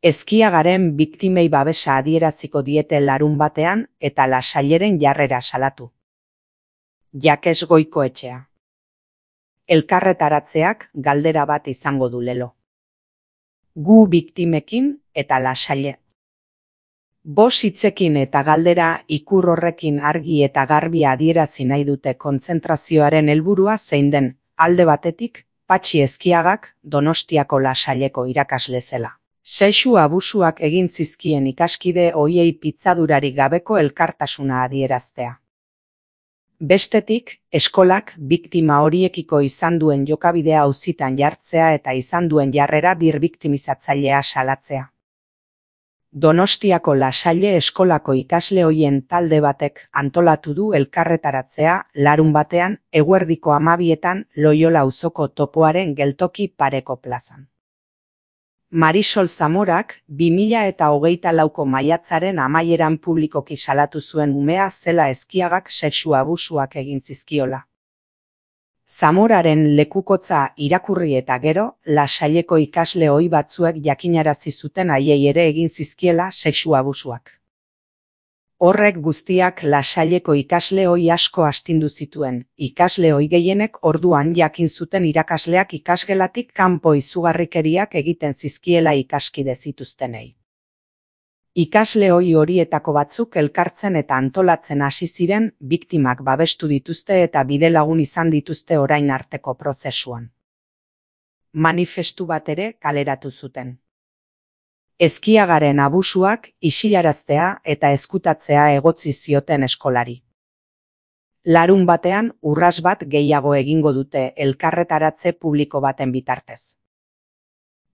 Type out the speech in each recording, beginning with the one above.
Eskiagaren biktimei babesa adieraziko diete larunbatean eta Lasaileren jarrera salatu. Jakes Goikoetxea. Elkarretaratzeak galdera bat izango du lelo. Gu biktimekin eta Lasaile. Bost hitzekin eta galdera ikur horrekin argi eta garbi adierazi nahi dute kontzentrazioaren helburua zein den, alde batetik, Patxi Eskiagak Donostiako Lasaileko irakasle zela. Sexu abusuak egin zizkien ikaskide ohiei pitzadurarik gabeko elkartasuna adieraztea. Bestetik, eskolak biktima horiekiko izan duen jokabidea auzitan jartzea eta izan duen jarrera birbiktimizatzailea salatzea. Donostiako Lasaile eskolako ikasle ohien talde batek antolatu du elkarretaratzea larunbatean eguerdiko 12etan Loiola auzoko topoaren geltoki pareko plazan. Marisol Zamorak 2024ko maiatzaren amaieran publikoki salatu zuen umea zela Eskiagak sexu abusuak egin zizkiola. Zamoraren lekukotza irakurri eta gero, Lasaileko ikasle ohi batzuek jakinarazi zuten haiei ere egin zizkiela sexu abusuak. Horrek guztiak Lasaileko ikasle ohi asko astindu zituen, ikasle ohi gehienek orduan jakin zuten irakasleak ikasgelatik kanpo izugarrikeriak egiten zizkiela ikaskide zituztenei. Ikasle ohi horietako batzuk elkartzen eta antolatzen hasi ziren, biktimak babestu dituzte eta bidelagun izan dituzte orain arteko prozesuan. Manifestu bat ere kaleratu zuten. Eskiagaren abusuak isilaraztea eta ezkutatzea egotzi zioten eskolari. Larunbatean urras bat gehiago egingo dute elkarretaratze publiko baten bitartez.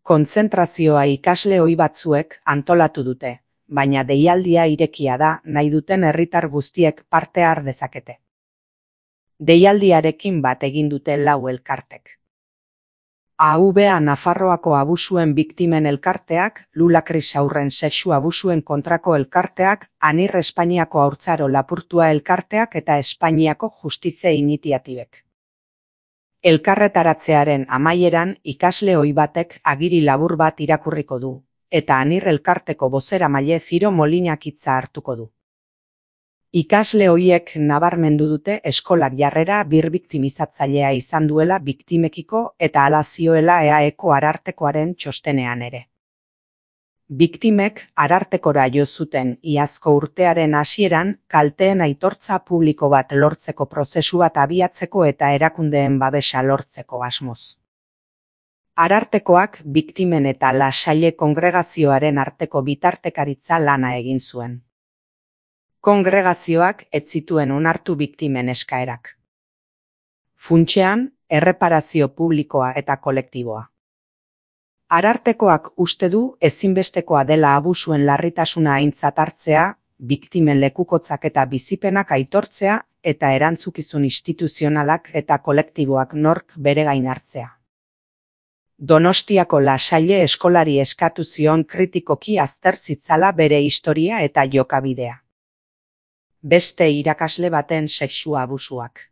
Kontzentrazioa ikasle ohi batzuek antolatu dute, baina deialdia irekia da nahi duten herritar guztiek parte har dezakete. Deialdiarekin bat egin dute 4 elkartek. AVA Nafarroako abusuen biktimen elkarteak, Lulakris haurren sexu abusuen kontrako elkarteak, ANIR Espainiako haurtzaro lapurtua elkarteak eta Espainiako Justizia Iniziatibek. Elkarretaratzearen amaieran ikasle ohi batek agiri labur bat irakurriko du, eta ANIR elkarteko bozeramaile Ziro Molinak hitza hartuko du. Ikasle horiek nabarmendu dute eskolak jarrera birbiktimizatzailea izan duela biktimekiko eta hala zioela EAEko arartekoaren txostenean ere. Biktimek arartekora jo zuten iazko urtearen hasieran kalteen aitortza publiko bat lortzeko prozesu bat abiatzeko eta erakundeen babesa lortzeko asmoz. Arartekoak biktimen eta Lasaile kongregazioaren arteko bitartekaritza lana egin zuen. Kongregazioak ez zituen onartu biktimen eskaerak. Funtsean, erreparazio publikoa eta kolektiboa. Arartekoak uste du ezinbestekoa dela abusuen larritasuna aintzat hartzea, biktimen lekukotzak eta bizipenak aitortzea eta erantzukizun instituzionalak eta kolektiboak nork bere gain hartzea. Donostiako Lasaile eskolari eskatu zion kritikoki azter zitzala bere historia eta jokabidea. Beste irakasle baten sexu abusuak.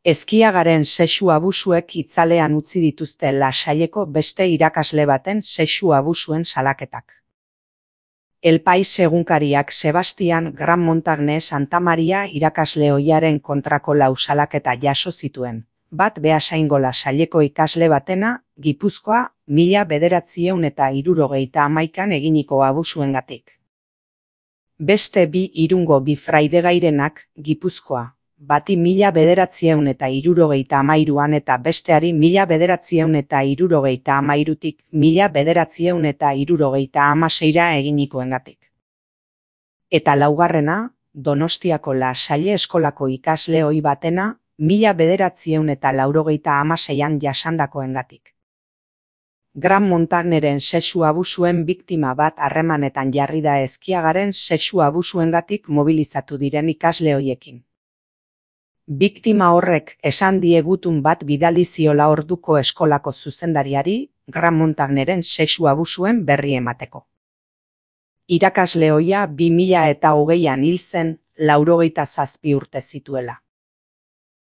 Eskiagaren sexu abusuek itzalean utzi dituzte Lasaileko beste irakasle baten sexu abusuen salaketak. El Pais egunkariak Sebastian Gran Montagne Santa Maria irakasle ohiaren kontrako 4 salaketa jaso zituen, bat Beasaingo Lasaileko ikasle batena, Gipuzkoa, 1971an eginiko abusuengatik. Beste 2 Irungo Bifraidegairenak, Gipuzkoa, bati 1973an eta besteari 1973tik 1976ra eginikoengatik. Eta 4. Donostiako Lasaile eskolako ikasle ohi batena 1986an jasandakoengatik. Gran Montagneren sexu abusuen biktima bat harremanetan jarri da Eskiagaren sexu abusuengatik mobilizatu diren ikasle horiekin. Biktima horrek esan die gutun bat bidali ziola orduko eskolako zuzendariari, Gran Montagneren sexu abusuen berri emateko. Irakasle ohia 2020an hil zen, 87 urte zituela.